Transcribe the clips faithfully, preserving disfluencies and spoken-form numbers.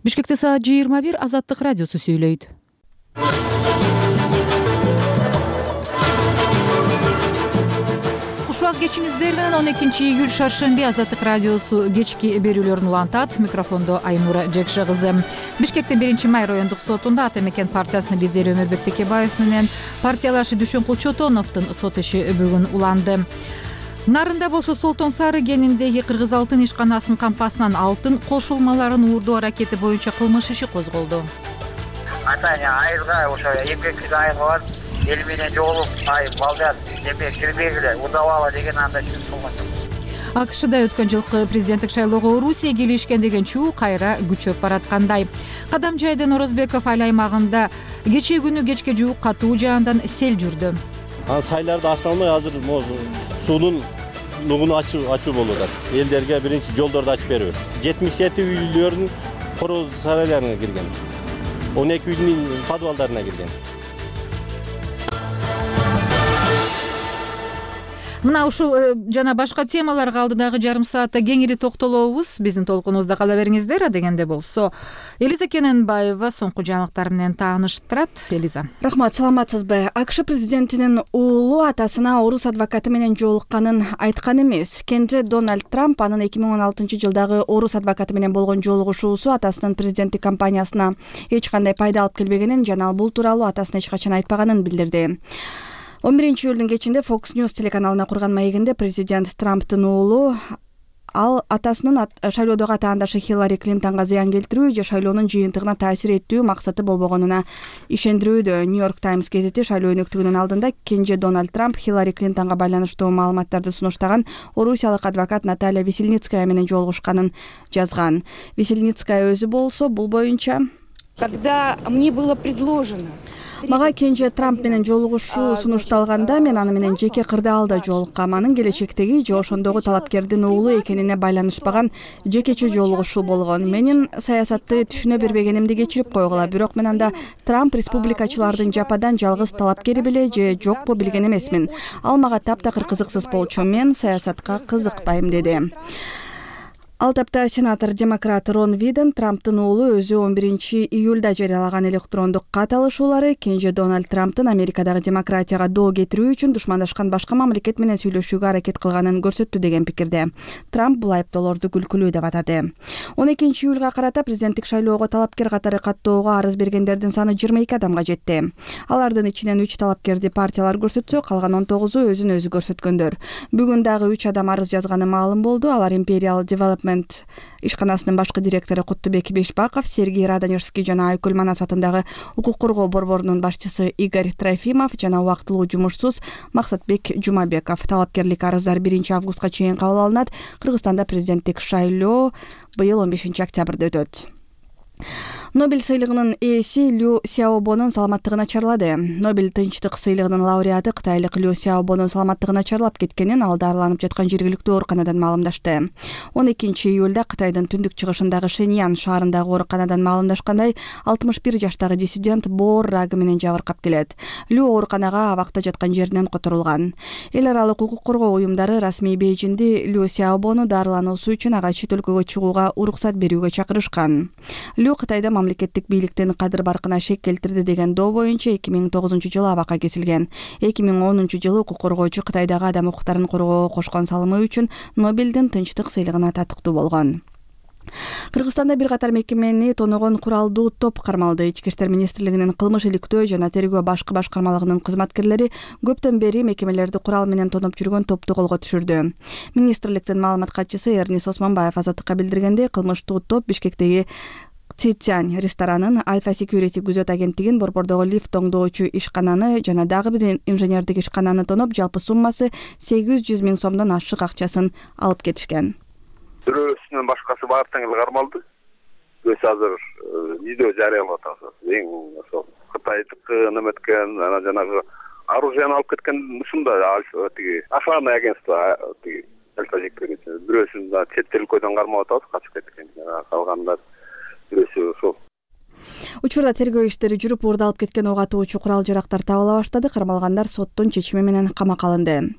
Бишкекте саат жыйырма бир. Азаттык радиосу сүйлөйт. Кушубак кечиңиздер менен он экинчи июль шаршемби Азаттык радиосу кечки берүүлөрүн улантат. Микрофондо Айнура Жекше кызы. Бишкектин биринчи май райондук сотунда Ата Мекен партиясынын лидери Өмөрбек Текебаев менен партиялашы Дүшүн Кулчотоновдун сот иши бүгүн уланды. Нарында болсо Солтон Сары кениндеги Кыргыз алтын ишканасынын кампасынан алтын кошулмаларын уурдоо аракети боюнча кылмыш иши козголду. Атаня айылга ошо эмгектик айылга барып эл менен жолугуп ай балдар эме кирбегиле удабала деген андай сөз болгон. АКШда өткөн жылкы президенттик шайлоого Орусия келишкен деген чуу кайра күчөп бараткандай. Кадам жайдын Орозбеков айыл аймагында кечээ күнү кечке жуук катуу жаандан сел жүрдү. Сайларды ачталмай азыр суунун нугуну ачуу ачуу болуп атат. Элдерге биринчи жолдорду ачып берүү. жетимиш жети үйлөрдүн короо сарайларына кирген. он эки үйдүн подвалдарына кирген. Мына ушул жана башка темаларга алдыдагы жарым саатта кеңири токтолобуз. Биздин толкунубузда кала бериңиздер. Адегенде болсо Элиза Кененбаева соңку жаңылыктар менен тааныштырат. Элиза. Рахмат, саламатсызбы? АКШ президентинин уулу атасына орус адвокаты менен жолукканын айткан эмес. Кенже Дональд Трамп анын эки миң он алтынчы жылдагы орус адвокаты менен болгон жолугушуусу атасынын президенттик кампаниясына эч кандай пайда алып келбегенин жана ал бул тууралуу атасына эч качан айтпаганын билдирди. он биринчи июлдун кечинде Fox News телеканалына курган маегинде президент Трамптын уулу ал атасынын шайлоодогу атаандашы Хиллари Клинтонго зыян келтирүү же шайлоонун жыйынтыгына таасир этүү максаты болбогонуна ишендирүүдө. Нью-Йорк Таймс гезити шайлоо өнөктүгүнүн алдында кенже Дональд Трамп Хиллари Клинтонго байланыштуу маалыматтарды сунуштаган орусиялык адвокат Наталья Весельницкая менен жолугушканын жазган. Весельницкая өзү болсо бул боюнча: когда мне было предложено Мага кенже Трамп менен жолугушуу сунушталганда мен аны менен жеке кырдаалда жолуккам. Анын келечектеги же ошондогу талапкердин уулу экенине байланышпаган жекече жолугушуу болгон. Менин саясатты түшүнө бербегенимди кечирип койгула. Бирок мен анда Трамп республикачылардын жападан жалгыз талапкери беле же жокпу билген эмесмин. Ал мага таптакыр кызыксыз болчу. Мен саясатка кызыкпайм, деди. Ал тапта сенатор демократ Рон Виден Трамптын уулу өзү он биринчи июлда жарыялаган электрондук кат алышуулары кенже Дональд Трамптын Америкадагы демократияга доо кетирүү үчүн душмандашкан башка мамлекет менен сүйлөшүүгө аракет кылганын көрсөттү деген пикирде. Трамп бул айыптоолорду күлкүлүү деп атады. он экинчи июлга карата президенттик шайлоого талапкер катары каттоого арыз бергендердин саны жыйырма эки адамга жетти. Алардын ичинен үч талапкерди партиялар көрсөтсө, калган он тогузу өзүн өзү көрсөткөндөр. Бүгүн дагы үч адам арыз жазганы маалым болду. Алар Imperial Development ишканасынын башкы директору Куттубек Бешбаков, Сергей Радонежский жана Айкүл Манас атындагы укук коргоо борборунун башчысы Игорь Трофимов жана убактылуу жумушсуз Максатбек Жумабеков. Талапкерлик арыздар биринчи августка чейин кабыл алынат. Кыргызстанда президенттик шайлоо быйыл он бешинчи октябрда өтөт. Нобель сыйлыгынын ээси Лю Сяобонун саламаттыгы начарлады. Нобель тынчтык сыйлыгынын лауреаты кытайлык Лю Сяобонун саламаттыгы начарлап кеткенин ал дарыланып жаткан жергиликтүү ооруканадан маалымдашты. он экинчи июлда Кытайдын түндүк чыгышындагы Шэньян шаарындагы ооруканадан маалымдашкандай, алтымыш бир жаштагы диссидент боор рагы менен жабыркап келет. Лю ооруканага абакта жаткан жеринен которулган. Эл аралык укук коргоо уюмдары расмий Бейжинди Лю Сяобону дарылануусу үчүн ага чет өлкөгө чыгууга уруксат берүүгө чакырышкан. Лю Кытайда мамлекеттик бийликтин кадыр баркына шек келтирди деген доо боюнча эки миң тогузунчу жылы абакка кесилген. эки миң онунчу жылы укук коргоочу Кытайдагы адам укуктарын коргоого кошкон салымы үчүн Нобелдин тынчтык сыйлыгына татыктуу болгон. Кыргызстанда бир катар мекемени тоногон куралдуу топ кармалды. Ички иштер министрлигинин кылмыш иликтөө жана тергөө башкы башкармалыгынын кызматкерлери көптөн бери мекемелерди курал менен тоноп жүргөн топту колго түшүрдү. Министрликтин маалымат катчысы Эрнис Осмонбаев Азаттыкка билдиргендей, кылмыштуу топ Бишкектеги Цитянь ресторанын, Альфа Security күзөт агенттигин, борбордогу лифт оңдоочу ишкананы жана дагы бир инженердик ишкананы тоноп, жалпы суммасы сегиз жүз миң сомдон ашык акчасын алып кетишкен. Бирөөсүнөн башкасы баардыгы эле кармалды. Өз азыр видео жарыялап атабыз. Эң ошол Кытайдыкы неметкен, анан жанагы оружияны алып кеткен ушунда тиги охранный агентство тиги Альфа Security. Бирөөсүн да чет өлкөдөн кармап атабыз, качып кеткен. Калгандар Учурда тергөө иштери жүрүп, уурда алып кеткен ок атуучу курал жарактар табыла баштады. Кармалгандар соттун чечими менен камакка алынды.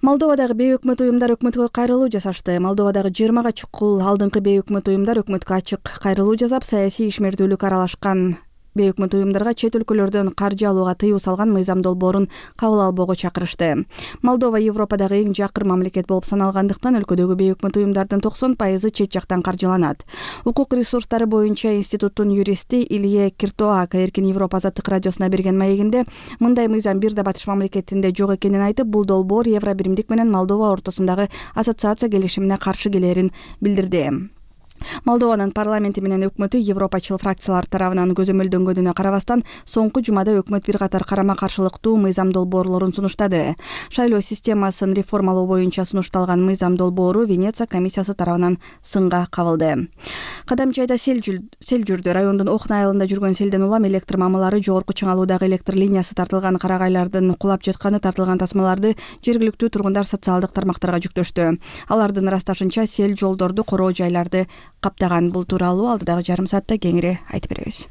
Молдовадагы бейөкмөт уюмдар өкмөткө кайрылуу жасашты. Молдовадагы жыйырмага чукул алдыңкы бейөкмөт уюмдар өкмөткө ачык кайрылуу жасап, саясий ишмердүүлүк аралашкан бейөкмөт уюмдарга чет өлкөлөрдөн каржы алууга тыюу салган мыйзам долбоорун кабыл албоого чакырышты. Молдова Европадагы эң жакыр мамлекет болуп саналгандыктан өлкөдөгү бейөкмөт уюмдардын токсон пайызы чет жактан каржыланат. Укук ресурстары боюнча институттун юристи Илье Киртоака Эркин Европа азаттык радиосуна берген маегинде мындай мыйзам бир да батыш мамлекетинде жок экенин айтып, бул долбоор Евро биримдик менен Молдова ортосундагы ассоциация келишимине каршы келерин билдирди. Молдованын парламенти менен өкмөтү европачыл фракциялар тарабынан көзөмөлдөнгөнүнө карабастан, соңку жумада өкмөт бир катар карама-каршылыктуу мыйзам долбоорлорун сунуштады. Шайлоо системасын реформалоо боюнча сунушталган мыйзам долбоору Венеция комиссиясы тарабынан сынга кабылды. Кадамчайда сел жүрдү. Райондун Охна айылында жүргөн селден улам электр мамылары, жогорку чыңалуудагы электр линиясы тартылган, карагайлардын кулап жатканы, тартылган тасмаларды жергиликтүү тургундар социалдык тармактарга жүктөштү. Алардын ырасташынча сел жолдорду, короо жайларды каптаган. Бул тууралуу алдыдагы жарым саатта кеңири айтып беребиз.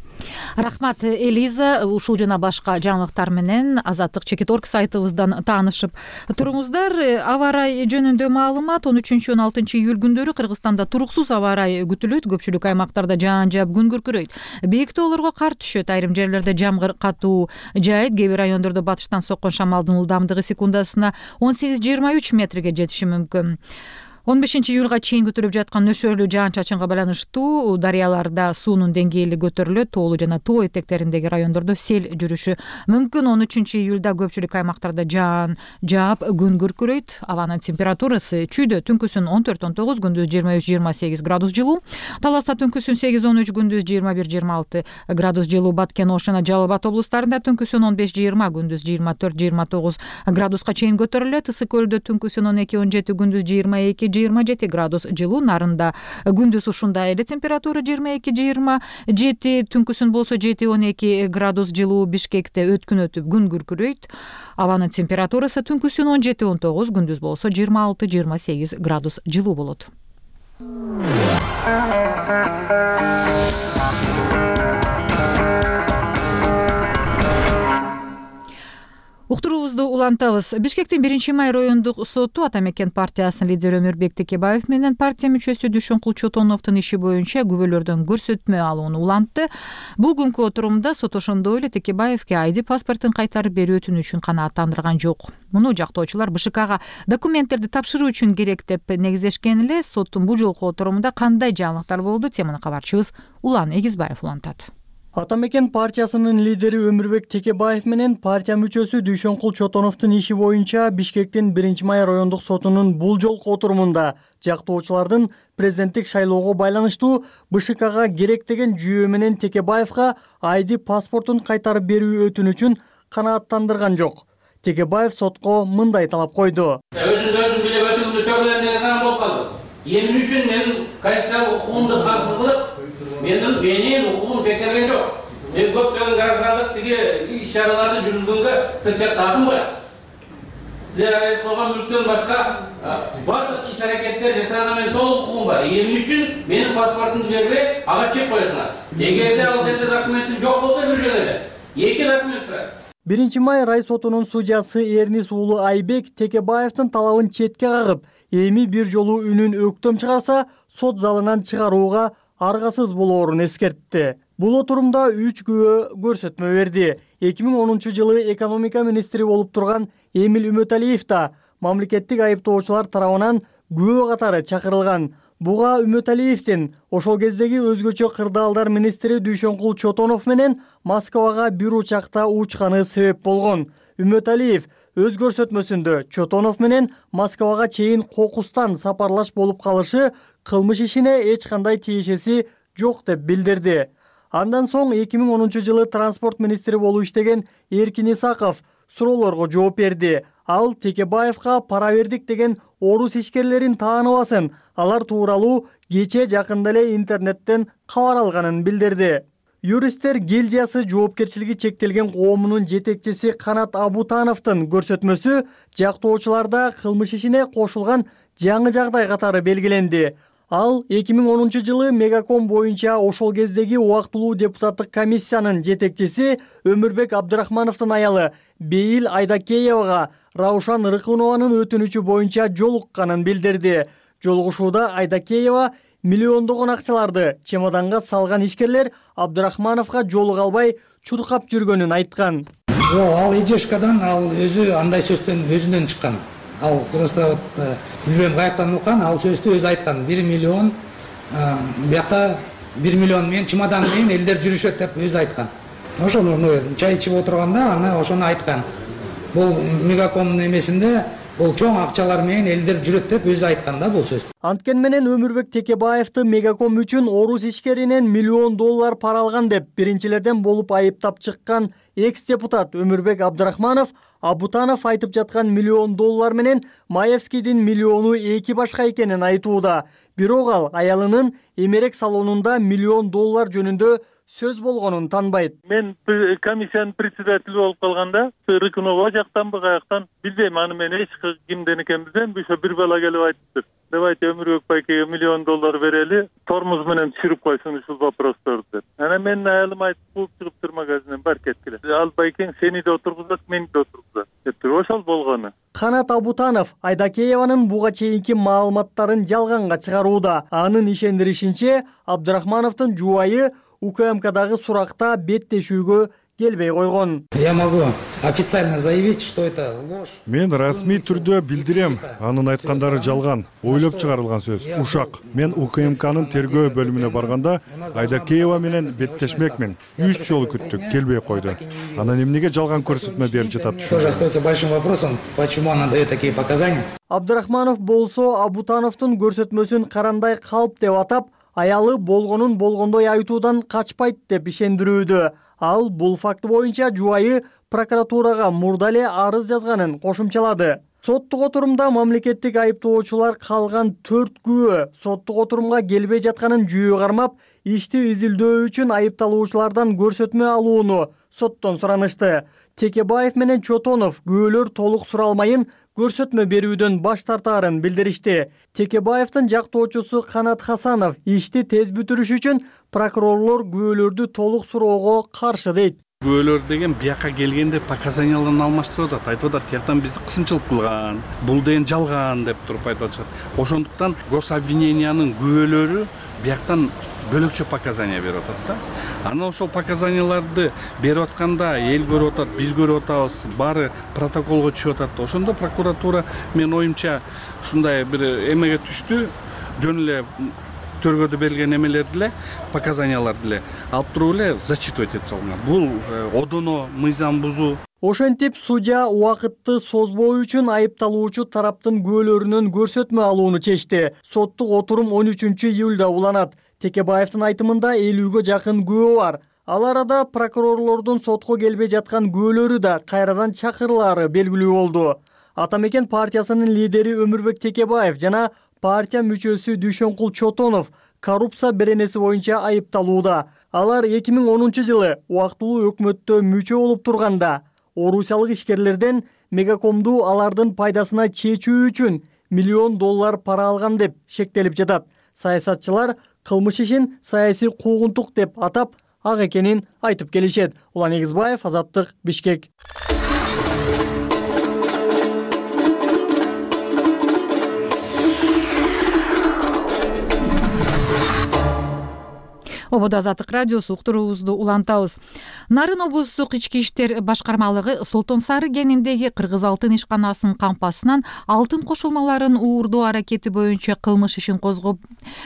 Рахмат, Элиза. Ушул жана башка жаңылыктар менен Азаттык чекит орг сайтыбыздан таанышып туруңуздар. Аба ырайы жөнүндө маалымат: он үчүнчү он алтынчы июль күндөрү Кыргызстанда туруксуз аба ырайы күтүлөт. Көпчүлүк аймактарда жаан жаап, күн күркүрөйт. Бийик тоолорго кар түшөт. Айрым жерлерде жамгыр катуу жаайт. Кээ бир райондордо батыштан соккон шамалдын ылдамдыгы секундасына он сегиз жыйырма үч метрге жетиши мүмкүн. он бешинчи июлга чейин күтүлүп жаткан нөшөрлүү жаан-чачынга байланыштуу дарыяларда суунун деңгээли көтөрүлөт. Тоолуу жана тоо этектериндеги райондордо сел жүрүшү мүмкүн. он үчүнчү июлда көпчүлүк аймактарда жаан жаап, күн күркүрөйт. Абанын температурасы чүйдө түнкүсүн он төрт он тогуз, күндүз жыйырма үч жыйырма сегиз градус жылуу. Таласта түнкүсүн сегиз он үч, күндүз жыйырма бир жыйырма алты градус жылуу. Баткен, Ош жана Жалал Абад облустарында түнкүсүн он беш жыйырма, күндүз жыйырма төрт жыйырма тогуз градуска чейин көтөрүлөт. Ысык көлдө түнкүсүн он эки он жети, күндүз жыйырма эки жыйырма жети градус жылуу. Нарында күндүз ушундай эле температура жыйырма эки жыйырма жети, түнкүсүн болсо жети он эки градус жылуу. Бишкекте өткүн өтүп күн күркүрөйт. Абанын температурасы түнкүсүн он жети он тогуз, күндүз болсо жыйырма алты жыйырма сегиз градус жылуу болот. Уктуруубузду улантабыз. Бишкектин биринчи май райондук соту Ата мекен партиясынын лидери Өмүрбек Текебаев менен партия мүчөсү Дүйшөнкул Чотоновдун иши боюнча күбөлөрдөн көрсөтмө алууну улантты. Бул күнкү отурумда сот ошондой эле Текебаевке айди паспортун кайтарып берүү өтүнүчүн канааттандырган жок. Муну жактоочулар БШКга документтерди тапшыруу үчүн керек деп негизешкен эле. Соттун бул жолку отурумда кандай жаңылыктар болду? Теманы кабарчыбыз Улан Эгизбаев улантат. Ата мекен партиясынын лидери Өмүрбек Текебаев менен партия мүчөсү Дүйшөнкул Чотоновдун иши боюнча Бишкектин биринчи май райондук сотунун бул жолку отурумунда жактоочулардын президенттик шайлоого байланыштуу БШКга керек деген жүйө менен Текебаевга айди паспортун кайтарып берүү өтүнүчүн канааттандырган жок. Текебаев сотко мындай талап койду. Өзүң өзүң билип өтүүнү төрөлөн деген болуп калды. Эмне үчүн менин конституциялык укугумду камсыз кылып, менин менин укугум чектелген жок. Мен көптөгөн граждандык тиги иш-чараларды жүргүзгөнгө сыртча такым бар. Силер арыз койгон мүлктөн башка бардык иш-аракеттер жасаганга мен толук укугум бар. Эмне үчүн менин паспортумду бербей, ага чек коесуңар? Эгерде ал жерде документим жок болсо бир жөн эле. Эки документ бар. биринчи май рай сотунун судьясы Эрнис уулу Айбек Текебаевдин талабын четке кагып, эми бир жолу үнүн өктөм чыгарса, сот залынан чыгарууга аргасыз болоорун эскертти. Бул отурумда үч күбө көрсөтмө берди. эки миң онунчу жылы экономика министри болуп турган Эмил Үмөталиев да мамлекеттик айыптоочулар тарабынан күбө катары чакырылган. Буга Үмөталиевдин ошол кездеги өзгөчө кырдаалдар министри Дүйшөнкул Чотонов менен Москвага бир учакта учканы себеп болгон. Үмөталиев өз көрсөтмөсүндө Чотонов менен Москвага чейин кокустан сапарлаш болуп калышы кылмыш ишине эч кандай тиешеси жок деп билдирди. Андан соң эки миң онунчу жылы транспорт министри болуп иштеген Эркин Исаков суроолорго жооп берди. Ал Текебаевга пара бердик деген орус ишкерлерин тааныбасын, алар тууралуу кече жакында эле интернеттен кабар алганын билдирди. Юристтер гильдиясы жоопкерчилиги чектелген коомунун жетекчиси Канат Абутановдун көрсөтмөсү жактоочуларда кылмыш ишине кошулган жаңы жагдай катары белгиленди. Ал эки миң онунчу жылы Мегаком боюнча ошол кездеги убактылуу депутаттык комиссиянын жетекчиси Өмүрбек Абдрахмановдун аялы Бейил Айдакеевага Раушан Рыкынованын өтүнүчү боюнча жолукканын билдирди. Жолугушууда Айдакеева миллиондогон акчаларды чемоданга салган ишкерлер Абдрахмановго жолуга албай чуркап жүргөнүн айткан. Ал Ижешкадан ал өзү андай сөздөн өзүнөн чыккан. Ал просто билбейм каяктан уккан, ал сөздү өзү айткан. бир миллион бияка бир миллион менен чемодан менен элдер жүрүшөт деп өзү айткан. Ошону чай ичип отурганда аны ошону айткан. Бул Мегакомдун эмесинде бул чоң акчалар менен элдер жүрөт деп өзү айткан да бул сөз. Анткени менен Өмүрбек Текебаевди Мегаком үчүн орус ишкеринен миллион доллар пара алган деп биринчилерден болуп айыптап чыккан экс-депутат Өмүрбек Абдрахманов Абутанов айтып жаткан миллион доллар менен Маевскийдин миллиону эки башка экенин айтууда. Бирок ал аялынын эмерек салонунда миллион доллар жөнүндө сөз болгонун танбайт. Мен комиссиянын председатели болуп калганда Рыкынова жактанбы каяктан билбейм, аны мен эч кимден экенин билбейм. Ошо бир бала келип айтыптыр. Давайте Өмүрбек байкеге миллион доллар берели, тормоз менен түшүрүп койсун ушул вопросторду деп. Анан менин аялым айтып кууп чыгыптыр магазинден, бар кеткиле. Ал байкең сени да отургузат, мени да отургузат дептир. Ошол болгону. Канат Абутанов Айдакееванын буга чейинки маалыматтарын жалганга чыгарууда. Анын ишендиришинче, Абдрахмановдун жубайы У К М Кдагы суракта беттешүүгө келбей койгон. Я могу официально заявить, что это ложь. Мен расмий түрдө билдирем, анын айткандары жалган, ойлоп чыгарылган сөз. Ушак. Мен У К М Кнын тергөө бөлүмүнө барганда Айдакеева менен беттешмекмин. Үч жолу күттүк, келбей койду. Анан эмнеге жалган көрсөтмө берип жатат? Тоже остается большим вопросом, почему она дает такие показания. Абдрахманов болсо Абутановдун көрсөтмөсүн карандай калп деп атап, аялы болгонун болгондой айтуудан качпайт деп ишендирүүдө. Ал бул факты боюнча жубайы прокуратурага мурда эле арыз жазганын кошумчалады. Соттук отурумда мамлекеттик айыптоочулар калган төрт күбө соттук отурумга келбей жатканын жүйө кармап, ишти изилдөө үчүн айыпталуучулардан көрсөтмө алууну соттон суранышты. Текебаев менен Чотонов күбөлөр толук суралмайын көрсөтмө берүүдөн баш тартаарын билдиришти. Текебаевдин жактоочусу Канат Хасанов ишти тез бүтүрүш үчүн прокурорлор күбөлөрдү толук суроого каршы дейт. Күбөлөр деген бияка келгенде показанияларын алмаштырып атат. Айтып атат, тияктан бизди кысымчылык кылган, бул деген жалган деп туруп айтып атышат. Ошондуктан гособвинениянын күбөлөрү бияктан бөлөкчө показания берип атат да. Анан ошол показанияларды берип атканда эл көрүп атат, биз көрүп атабыз, баары протоколго түшүп атат. Ошондо прокуратура мен оюмча ушундай бир эмеге түштү, жөн эле төргөдө берилген эмелерди эле, показанияларды эле алып туруп эле зачитывать этип салган. Бул одоно мыйзам бузуу. Ошентип судья убакытты созбоо үчүн айыпталуучу тараптын күбөлөрүнөн көрсөтмө алууну чечти. Соттук отурум он үчүнчү июлда уланат. Текебаевдин айтымында элүүгө жакын күбө бар. Ал арада прокурорлордун сотко келбей жаткан күбөлөрү да кайрадан чакырылаары белгилүү болду. Ата мекен партиясынын лидери Өмүрбек Текебаев жана партия мүчөсү Дүйшөнкул Чотонов коррупция беренеси боюнча айыпталууда. Алар эки миң онунчу жылы убактылуу өкмөттө мүчө болуп турганда орусиялык ишкерлерден Мегакомду алардын пайдасына чечүү үчүн миллион доллар пара алган деп шектелип жатат. Саясатчылар кылмыш ишин саясий куугунтук деп атап, ак экенин айтып келишет. Улан Эгизбаев, Азаттык, Бишкек. Ободо Азаттык радиосу уктуруубузду улантабыз. Нарын облустук ички иштер башкармалыгы Солтон Сары кениндеги Кыргыз алтын ишканасынын кампасынан алтын кошулмаларын уурдоо аракети боюнча кылмыш ишин козгоп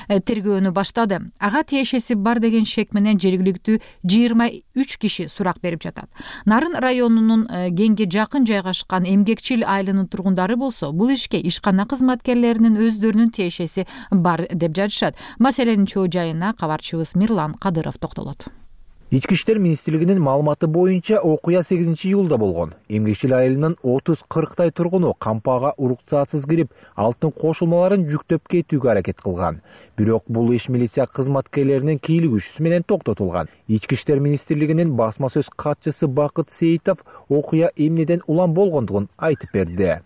тергөөнү баштады. Ага тиешеси бар деген шек менен жергиликтүү жыйырма үч киши сурак берип жатат. Нарын районунун кеңге жакын жайгашкан Эмгекчил айылынын тургундары болсо, бул ишке ишкана кызматкерлеринин өздөрүнүн тиешеси бар деп жатышат. Маселенин чоо жайына кабарчыбыз Мирлан Кадыров токтолот. Ички иштер министрлигинин маалыматы боюнча окуя сегизинчи июлда болгон. Эмгекчил айылынын отуз кырктай тургуну кампага уруксатсыз кирип, алтын кошулмаларын жүктөп кетүүгө аракет кылган. Бирок бул иш милиция кызматкерлеринин кийлигүүсү менен токтотулган. Ички иштер министрлигинин басма сөз катчысы Бакыт Сейитов окуя эмнеден улам болгондугун айтып берди.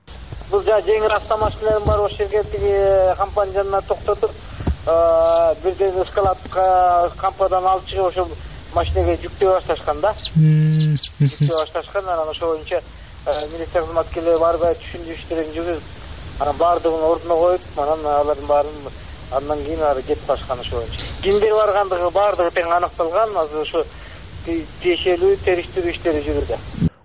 Бул жа жеңил автомашиналар бар, ошол жерге тиги компания жанына токтотуп, бирден эскалатка кампадан алып чыгып ошол машинеге жүктөй башташкан да. Жүктөй башташкан, анан ошол боюнча милиция кызматкерлери барбай түшүндү иштерин жүргүзүп, анан баардыгын ордуна коюп, анан алардын баарын андан кийин ары кетип башкан ошол боюнча. Кимдер баргандыгы баардыгы тең аныкталган, азыр ошо тиешелүү териштирүү иштери жүрүүдө.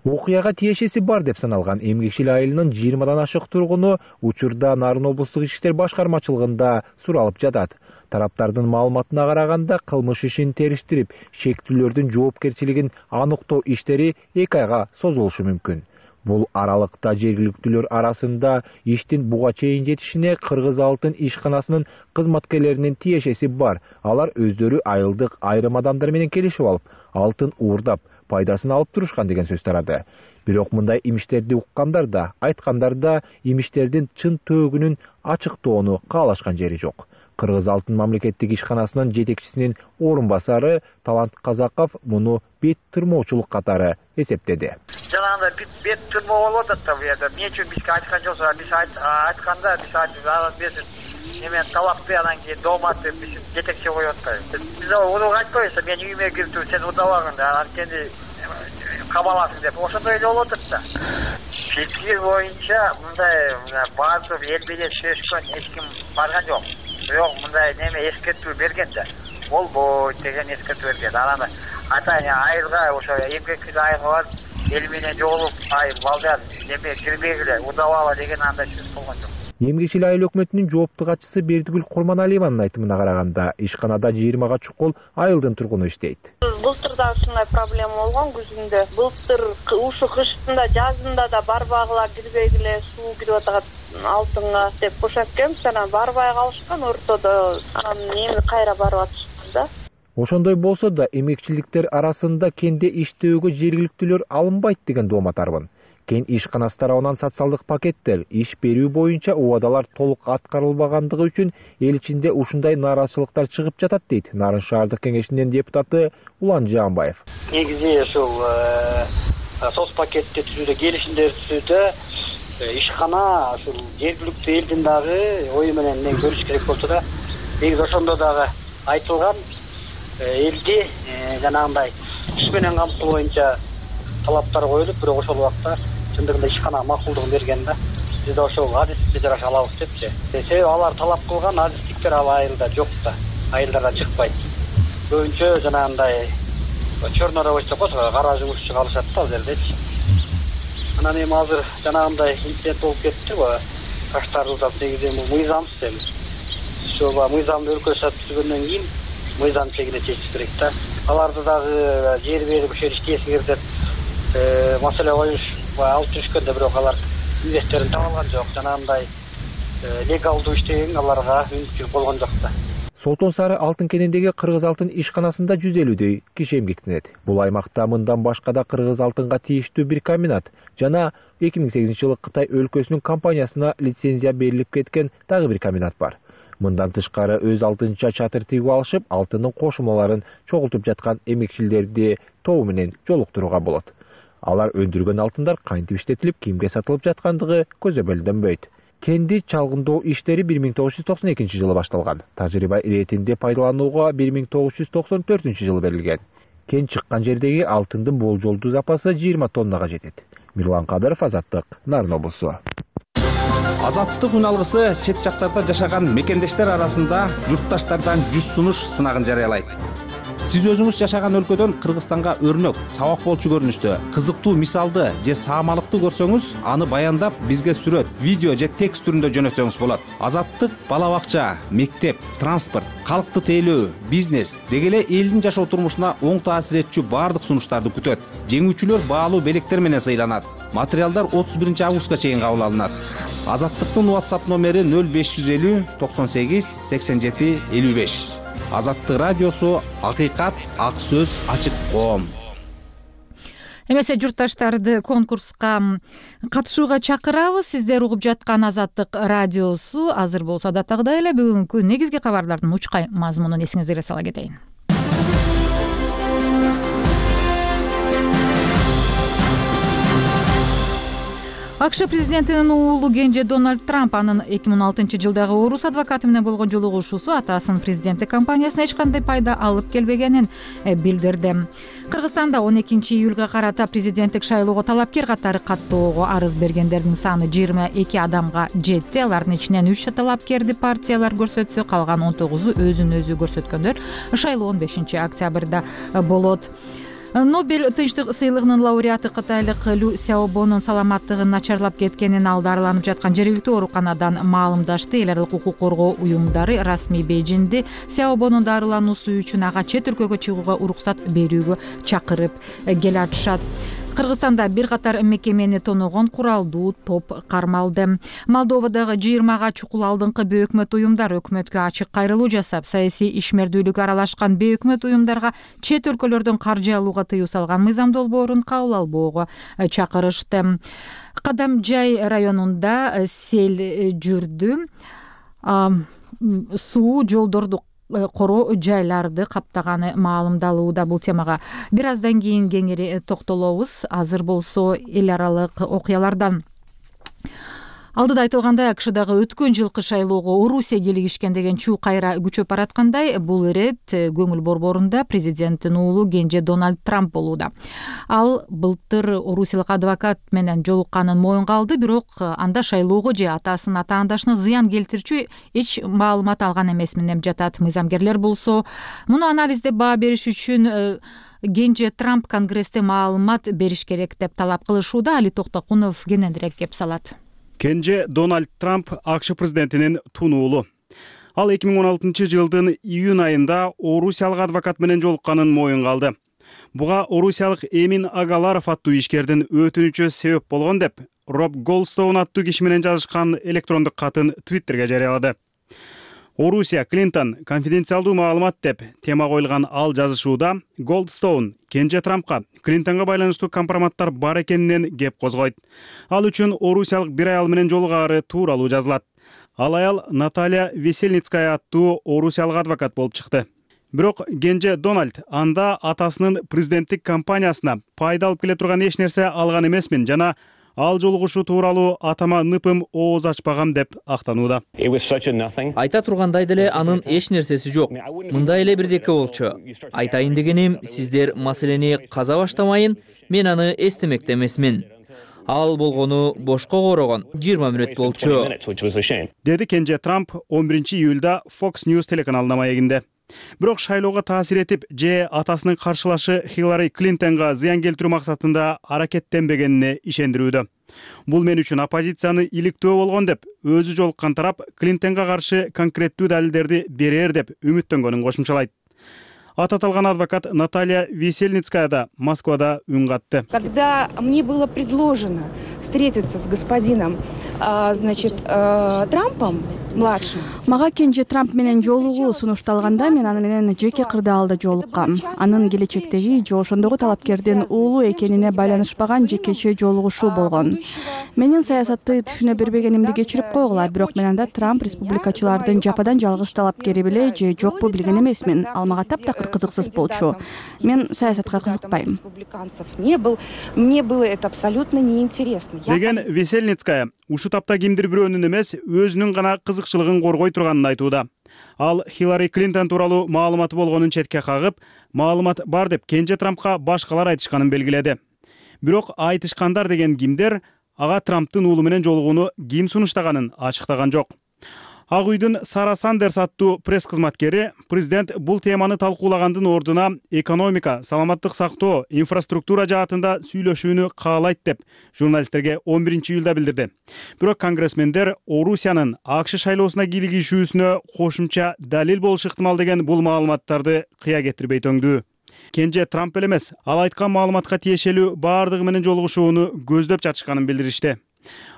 Окуяга тиешеси бар деп саналган эмгекчил айылынын жыйырмадан ашык тургуну учурда Нарын облустук ички иштер башкармачылыгында суралып жатат. Тараптардын маалыматына караганда кылмыш ишин териштирип, шектүүлөрдүн жоопкерчилигин аныктоо иштери эки айга созулушу мүмкүн. Бул аралыкта жергиликтүүлөр арасында иштин буга чейин жетишине Кыргыз Алтын ишканасынын кызматкерлеринин тиешеси бар. Алар өздөрү айылдык айрым адамдар менен келишип алып, алтын уурдап, пайдасын алып турушкан деген сөз тарады. Бирок мындай имиштерди уккандар да, айткандар да имиштердин чын төөгүнүн ачыктоону каалашкан жери жок. Кыргыз Алтын мамлекеттик ишканасынын жетекчисинин орун басары Талант Казаков муну бет тырмоочулук катары эсептеди. Жанагындай бет тырмоо болуп атат да бу жерде. Эмне үчүн бизге айткан жоксуңар? Биз айтканда биз айтып немен талапты, анан кийин дооматты биз жетекчи коюп атпайбыз. Биз уну айтпайбыз, мен үйүмө кирип туруп сен удабагын, анткени кабаласың деп. Ошондой эле болуп атат да. Фикир боюнча мындай баардык эл менен сүйлөшкөн эч ким барган жок. Бирок мындай неме эскертүү берген да. Болбойт деген эскертүү берген. Анан атайын айылга ошо эмгекчил айылга барып, эл менен жолугуп, ай балдар неме кирбегиле, удабала деген андай сөз болгон жок. Эмгекчил айыл өкмөтүнүн жоопту катчысы Бердигүл Курманалиеванын айтымына караганда, ишканада жыйырмага чукул айылдын тургуну иштейт. Былтырдан ушундай проблема болгон күзүндө. Былтыр ушу кыштында, жазында да барбагылар кирбегиле, суу кирип атат алтынга деп бошоп келип, анан барбай калышкан ортодо. Анан эми кайра барып атышкан да. Ошондой болсо да эмгекчиликтер арасында кенде иштөөгө жергиликтүүлөр алынбайт деген дооматарбын. Кен ишканасы тарабынан социалдык пакеттер иш берүү боюнча убадалар толук аткарылбагандыгы үчүн эл ичинде ушундай нааразычылыктар чыгып жатат дейт Нарын шаардык кеңешинин депутаты Улан Жаанбаев. Негизи ушул соц пакетти түзүүдө, келишимдер түзүүдө ишкана ушул жергиликтүү элдин дагы ою менен көрүш керек болсо да, негизи ошондо дагы айтылган элди жанагындай иш менен камтуу боюнча талаптар коюлуп, бирок ошол убакта чындыгында ишкана макулдугун берген да. Биз да ошол адистикти жараша алабыз депчи. Себеби алар талап кылган адистиктер ал айылда жок да, айылдардан чыкпайт. Көбүнчө жанагындай черный рабочий болсо кара жумушчу калышат да ал жердечи. Анан эми азыр жанагындай инцидент болуп кетти го. Каштарылдап негизи бул мыйзамсыз эми. Ошол мыйзамды өлкө түзгөндөн кийин мыйзам чегине чечиш керек да. Аларды дагы жер берип ошол иштесиңер деп маселе коюш алып жүрүшкөндө, бирок алар инвесторун таба алган жок. Жанагындай легалдуу иштеген аларга мүмкүнчүлүк болгон жок да. Солтон Сары алтын кенендеги Кыргыз Алтын ишканасында жүз элүүдөй киши эмгектенет. Бул аймакта мындан башка да Кыргыз Алтынга тийиштүү бир комбинат жана эки миң сегизинчи жылы Кытай өлкөсүнүн компаниясына лицензия берилип кеткен дагы бир комбинат бар. Мындан тышкары өз алдынча чатыр тигип алышып, алтындын кошулмаларын чогултуп жаткан эмгекчилерди тобу менен жолуктурууга болот. Алар өндүргөн алтындар кантип иштетилип, кимге сатылып жаткандыгы көзөмөлдөнбөйт. Кенди чалгындоо иштери бир миң тогуз жүз токсон экинчи жылы башталган. Тажрыйба иретинде пайдаланууга бир миң тогуз жүз токсон төртүнчү жылы берилген. Кен чыккан жердеги алтындын болжолдуу запасы жыйырма тоннага жетет. Мирлан Кадыров, Азаттык, Нарын облусу. Азаттык үн алгысы чет жактарда жашаган мекендештер арасында журтташтардан жүз сунуш сынагын жарыялайт. Сиз өзүңүз жашаган өлкөдөн Кыргызстанга өрнөк, сабак болчу көрүнүштө, кызыктуу мисалды же саамалыкты көрсөңүз, аны баяндап бизге сүрөт, видео же текст түрүндө жөнөтсөңүз болот. Азаттык бала бакча, мектеп, транспорт, калкты тейлөө, бизнес деги эле элдин жашоо турмушуна оң таасир этчү баардык сунуштарды күтөт. Жеңүүчүлөр баалуу белектер менен сыйланат. Материалдар отуз биринчи августка чейин кабыл алынат. Азаттыктын WhatsApp номери нөл беш жүз элүү токсон сегиз сексен жети элүү беш. Азаттык радиосу, акыйкат, ак сөз, ачык коом. Эмесе журтташтарды конкурска катышууга чакырабыз. Сиздер угуп жаткан Азаттык радиосу. Азыр болсо адаттагыдай эле бүгүнкү негизги кабарлардын учкай мазмунун эсиңиздерге сала кетейин. АКШ президентинин уулу кенже Дональд Трамп анын эки миң он алтынчы жылдагы орус адвокаты менен болгон жолугушуусу атасынын президенттик кампаниясына эч кандай пайда алып келбегенин билдирди. Кыргызстанда он экинчи июлга карата президенттик шайлоого талапкер катары каттоого арыз бергендердин саны жыйырма эки адамга жетти. Алардын ичинен үч талапкерди партиялар көрсөтсө, калган он тогузу өзүн өзү көрсөткөндөр. Шайлоо он бешинчи октябрда болот. Нобель тынчтык сыйлыгынын лауреаты кытайлык Лю Сяобонун саламаттыгын начарлап кеткенин ал дарыланып жаткан жергиликтүү ооруканадан маалымдашты. Эл аралык укук коргоо уюмдары расмий Бейжиңди Сяобонун дарылануусу үчүн ага чет өлкөгө чыгууга уруксат берүүгө чакырып келатышат. Кыргызстанда бир катар мекемени тоногон куралдуу топ кармалды. Молдовадагы жыйырмага чукул алдыңкы бейөкмөт уюмдар өкмөткө ачык кайрылуу жасап, саясий ишмердүүлүк аралашкан бейөкмөт уюмдарга чет өлкөлөрдөн каржы алууга тыюу салган мыйзам долбоорун кабыл албоого чакырышты. Кадамжай районунда сел жүрдү. Суу жолдорду короо жайларды каптаганы маалымдалууда. Бул темага бир аздан кийин кеңири токтолобуз. Азыр болсо эл аралык окуялардан. Алдыда айтылгандай, АКШдагы өткөн жылкы шайлоого Орусия келишкен деген чуу кайра күчөп бараткандай, бул ирет көңүл борборунда президенттин уулу кенже Дональд Трамп болууда. Ал былтыр орусиялык адвокат менен жолукканын моюнга алды, бирок анда шайлоого же атасынын атаандашына зыян келтирчү эч маалымат алган эмесмин деп жатат. Мыйзамгерлер болсо, муну анализдеп баа бериш үчүн кенже Трамп Конгрессте маалымат бериш керек деп талап кылышууда. Али Токтокунов кененирээк кеп салат. Кенже Дональд Трамп АКШ президентинин тун уулу. Ал эки миң он алтынчы жылдын июнь айында орусиялык адвокат менен жолукканын моюнга алды. Буга орусиялык Эмин Агаларов аттуу ишкердин өтүнүчү себеп болгон деп Роб Голдстоун аттуу киши менен жазышкан электрондук катын Твиттерге жарыялады. Орусия Клинтон конфиденциалдуу маалымат деп тема коюлган ал жазышууда Голдстоун кенже Трампка Клинтонго байланыштуу компроматтар бар экенинен кеп козгойт. Ал үчүн орусиялык бир аял менен жолугаары тууралуу жазылат. Ал аял Наталья Весельницкая аттуу орусиялык адвокат болуп чыкты. Бирок кенже Дональд анда атасынын президенттик кампаниясына пайда алып келе турган эч нерсе алган эмесмин жана ал жолугушуу тууралуу атама ныпым ооз ачпагам деп актанууда. Айта тургандай деле анын эч нерсеси жок. Мындай эле бирдеке болчу. Айтайын дегеним, сиздер маселени каза баштамайын, мен аны эстемекте эмесмин. Ал болгону бошко корогон жыйырма мүнөт болчу. Деди кенже Трамп он биринчи июлда Fox News телеканалына маегинде. Бирок шайлоого таасир этип же атасынын каршылашы Хиллари Клинтонго зыян келтирүү максатында аракеттенбегенине ишендирүүдө. Бул мен үчүн оппозицияны иликтөө болгон деп өзү жолуккан тарап Клинтонго каршы конкреттүү далилдерди берер деп үмүттөнгөнүн кошумчалайт. Аты аталган адвокат Наталья Весельницкая да Москвада үн катты. Когда мне было предложено встретиться с господином, значит, Трампом младшим. Мага кенже Трамп менен жолугуу сунушталганда мен аны менен жеке кырдаалда жолуккам. Анын келечектеги же ошондогу талапкердин уулу экенине байланышпаган жекече жолугушуу болгон. Менин саясатты түшүнө бербегенимди кечирип койгула, бирок мен анда Трамп республикачылардын жападан жалгыз талапкери беле же жокпу билген эмесмин. Ал мага таптакыр кызыксыз болчу. Мен саясатка кызыкпайм. Не был, мне было это абсолютно неинтересно. Деген Весельницкая ушу тапта кимдир бирөөнүн эмес, өзүнүн гана кызыкчылыгын коргой турганын айтууда. Ал Хиллари Клинтон тууралуу маалыматы болгонун четке кагып, маалымат бар деп кенже Трампка башкалар айтышканын белгиледи. Бирок айтышкандар деген кимдер ага Трамптын уулу менен жолугууну ким сунуштаганын ачыктаган жок. Ак үйдүн Сара Сандерс аттуу пресс кызматкери президент бул теманы талкуулагандын ордуна экономика, саламаттык сактоо, инфраструктура жаатында сүйлөшүүнү каалайт деп журналисттерге он биринчи июлда билдирди. Бирок конгрессмендер Орусиянын АКШ шайлоосуна кийлигишүүсүнө кошумча далил болушу ыктымал деген бул маалыматтарды кыя кетирбей төңдүү. Кенже Трамп эле эмес, ал айткан маалыматка тиешелүү баардыгы менен жолугушууну көздөп жатышканын билдиришти.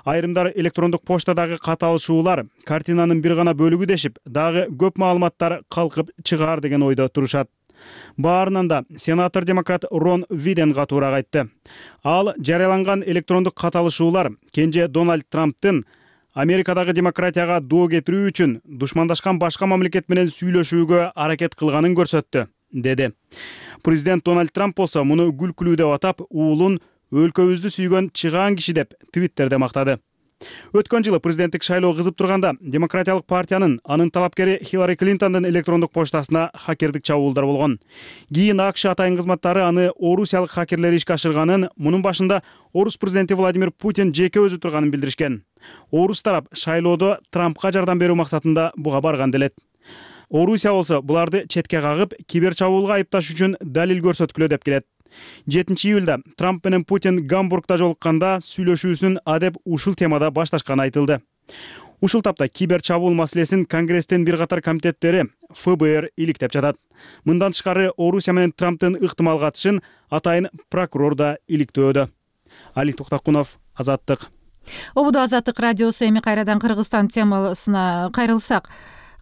Айрымдар электрондук поштадагы каталышуулар картинанын бир гана бөлүгү дешип, дагы көп маалыматтар калкып чыгаар деген ойдо турушат. Баарынан да сенатор демократ Рон Виден катуураак айтты. Ал жарыяланган электрондук каталышуулар кенже Дональд Трамптын Америкадагы демократияга доо кетирүү үчүн душмандашкан башка мамлекет менен сүйлөшүүгө аракет кылганын көрсөттү, деди. Президент Дональд Трамп болсо муну күлкүлүү деп атап, уулун өлкөбүздү сүйгөн чыгаан киши деп Твиттерде мактады. Өткөн жылы президенттик шайлоо кызып турганда Демократиялык партиянын анын талапкери Хиллари Клинтондун электрондук почтасына хакердик чабуулдар болгон. Кийин АКШ атайын кызматтары аны орусиялык хакерлер ишке ашырганын, мунун башында орус президенти Владимир Путин жеке өзү турганын билдиришкен. Орус тарап шайлоодо Трампка жардам берүү максатында буга барган делет. Орусия болсо буларды четке кагып, кибер чабуулга айыпташ үчүн далил көрсөткүлө деп келет. жетинчи июлда Трамп менен Путин Гамбургда жолукканда сүйлөшүүсүн адеп ушул темада башташканы айтылды. Ушул тапта кибер чабуул маселесин Конгресстин бир катар комитеттери эф бэ эр иликтеп жатат. Мындан тышкары Орусия менен Трамптын ыктымал катышын атайын прокурор да иликтөөдө. Али Токтакунов, Азаттык. Обуду Азаттык радиосу. Эми кайрадан Кыргызстан темасына кайрылсак.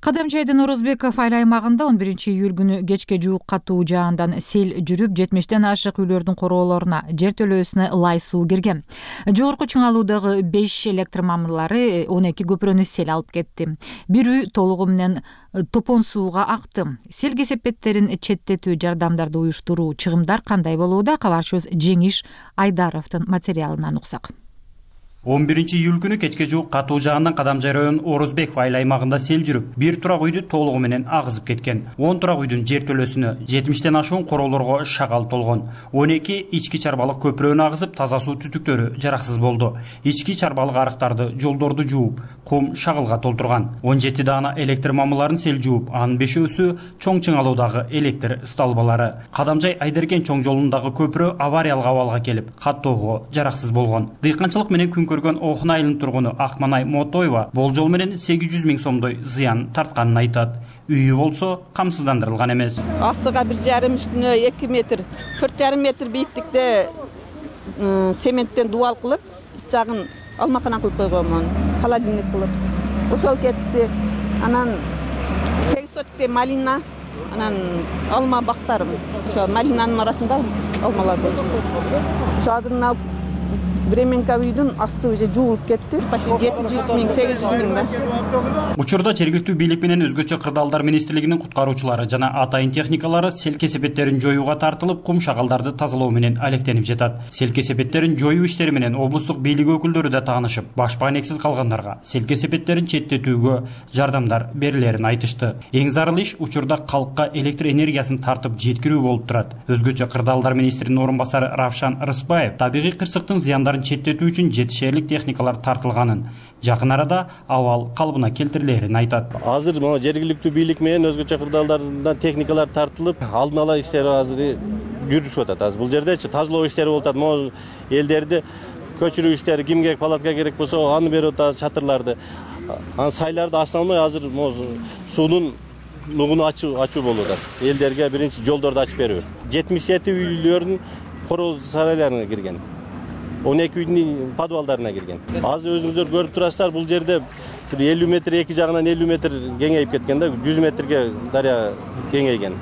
Кадамжайдын Орозбеков айыл аймагында он биринчи июль күнү кечке жуук катуу жаандан сел жүрүп, жетимиштен ашык үйлөрдүн короолоруна, жертөлөөсүнө лай суу кирген. Жогорку Чыңалуудагы беш электр мамырлары он эки көпүрөнү сел алып кетти. Бир үй толугу менен топон сууга акты. Сел кесепеттерин четтетүү, жардамдарды уюштуруу, чыгымдар кандай болууда? Кабарчыбыз Жеңиш Айдаровдун материалынан уксак. он биринчи июль күнү кечке жуук катуу жаандан Кадамжай районунун Орозбеков айыл аймагында сел жүрүп, бир турак үйдү толугу менен агызып кеткен. он турак үйдүн жертөлөсүнө, жетимиштен ашуун короолорго шагал толгон. он эки ички чарбалык көпүрөнү агызып, таза суу түтүктөрү жараксыз болду. Ички чарбалык арыктарды, жолдорду жууп, кум шагылга толтурган. он жети даана электр мамыларын сел жууп, анын бешөөсү Чоң Чыңалуудагы электр столбалары. Кадамжай Айдеркен чоң жолундагы көпүрө авариялык абалга келип, каттоого жараксыз болгон. Дыйканчылык менен күн көргөн Окун айылынын тургуну Акманай Мотоева болжол менен сегиз жүз миң сомдой зыян тартканын айтат. Үйү болсо камсыздандырылган эмес. Астыга бир жарым, үстүнө эки метр, төрт жарым метр бийиктикте цементтен дубал кылып, жагын алмакана кылып койгонмун, холодильник кылып. Ошол кетти. Анан сегиз сотикте малина, анан алма бактарым. Ошо малинанын арасында алмалар болчу. Ошо азырына Бременка үйдүн асты уже жуулуп кетти. Почти жети жүз миң, сегиз жүз миң да. Учурда жергиликтүү бийлик менен өзгөчө кырдаалдар министрлигинин куткаруучулары жана атайын техникалары сел кесепеттерин жоюуга тартылып, кум шагалдарды тазалоо менен алектенип жатат. Сел кесепеттерин жоюу иштери менен облустук бийлик өкүлдөрү да таанышып, баш баанексиз калгандарга сел кесепеттерин четтетүүгө жардамдар берилерин айтышты. Эң зарыл иш учурда калкка электр энергиясын тартып жеткирүү болуп турат. Өзгөчө кырдаалдар министринин орун басары Равшан Рыспаев табигый кырсыктын зыяндарын четтетүү үчүн жетишерлик техникалар тартылганын, жакын арада абал калыбына келтирилерин айтат. Азыр могу жергиликтүү бийлик менен өзгөчө кырдаалдардан техникалар тартылып, алдын ала иштер азыр жүрүшүп атат. Азыр бул жердечи тазалоо иштери болуп атат. Могу элдерди көчүрүү иштери, кимге палатка керек болсо аны берип атат, чатырларды. Анан сайларды основной азыр могу суунун нугуну ачуу ачуу болуп атат. Элдерге биринчи жолдорду ачып берүү. жетимиш жети үйлөрдүн короо сарайларына кирген. он эки үйдүн подвалдарына кирген. Азыр өзүңүздөр көрүп турасыздар, бул жерде элүү метр, эки жагынан элүү метр кеңейип кеткен да, жүз метрге дарыя кеңейген.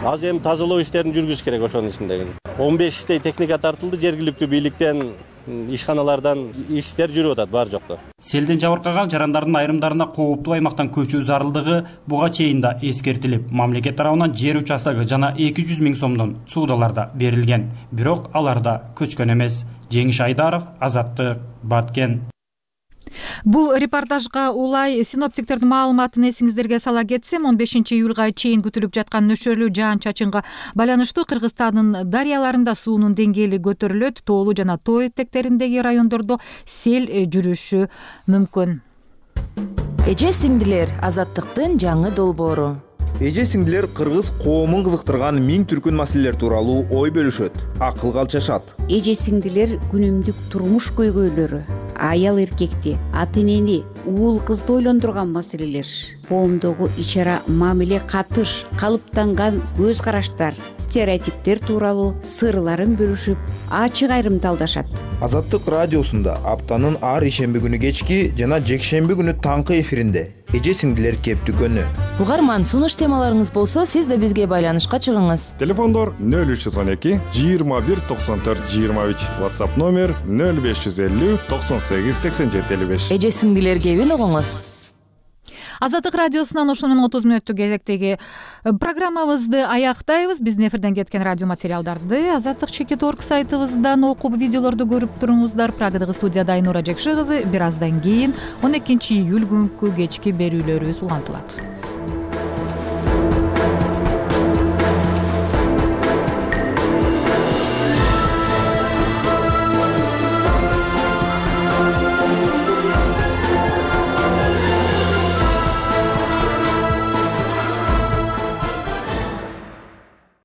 Азыр эми тазалоо иштерин жүргүзүш керек ошонун ичинде. он бештей техника тартылды, жергиликтүү бийликтен, ишканалардан иштер жүрүп атат бар жокто. Селден жабыркаган жарандардын айрымдарына кооптуу аймактан көчүү зарылдыгы буга чейин да эскертилип, мамлекет тарабынан жер участогу жана эки жүз миң сомдон суудалар да берилген. Бирок алар да көчкөн эмес. Жеңиш Айдаров, Азаттык, Баткен. Бул репортажга улай синоптиктердин маалыматын эсиңиздерге сала кетсем, он бешинчи июлга чейин күтүлүп жаткан нөшөрлүү жаан-чачынга байланыштуу Кыргызстандын дарыяларында суунун деңгээли көтөрүлөт, тоолуу жана тоо этектериндеги райондордо сел жүрүшү мүмкүн. Эже сиңдилер, Азаттыктын жаңы долбоору. Эже сиңдилер кыргыз коомун кызыктырган миң түркүн маселелер тууралуу ой бөлүшөт, акылга алчашат. Эже сиңдилер күнүмдүк турмуш көйгөйлөрү, аял эркекти, ата энени, уул кызды ойлондурган маселелер, коомдогу ичара мамиле катыш, калыптанган көз караштар, стереотиптер тууралуу сырларын бөлүшүп, ачык айрымталдашат. Азаттык радиосунда аптанын ар ишемби күнү кечки жана жекшемби күнү таңкы эфиринде эже сиңдилер кептүкөнү. Угарман, сунуш темаларыңыз болсо, сиз да бизге байланышка чыгыңыз. Телефондор нөл үч жүз он эки жыйырма бир токсон төрт жыйырма үч, WhatsApp номер нөл беш жүз элүү токсон сегиз сексен жети элүү беш. Эже сиңдилер кебин угуңуз. Азаттык радиосунан ошону менен отуз мүнөттүк кезектеги программабызды аяктайбыз. Биздин эфирден кеткен радио материалдарды азаттык чекит орг сайтыбыздан окуп, видеолорду көрүп туруңуздар. Прагадагы студияда Айнура Жекши кызы. Бир аздан кийин он экинчи июль күнкү кечки берүүлөрүбүз улантылат.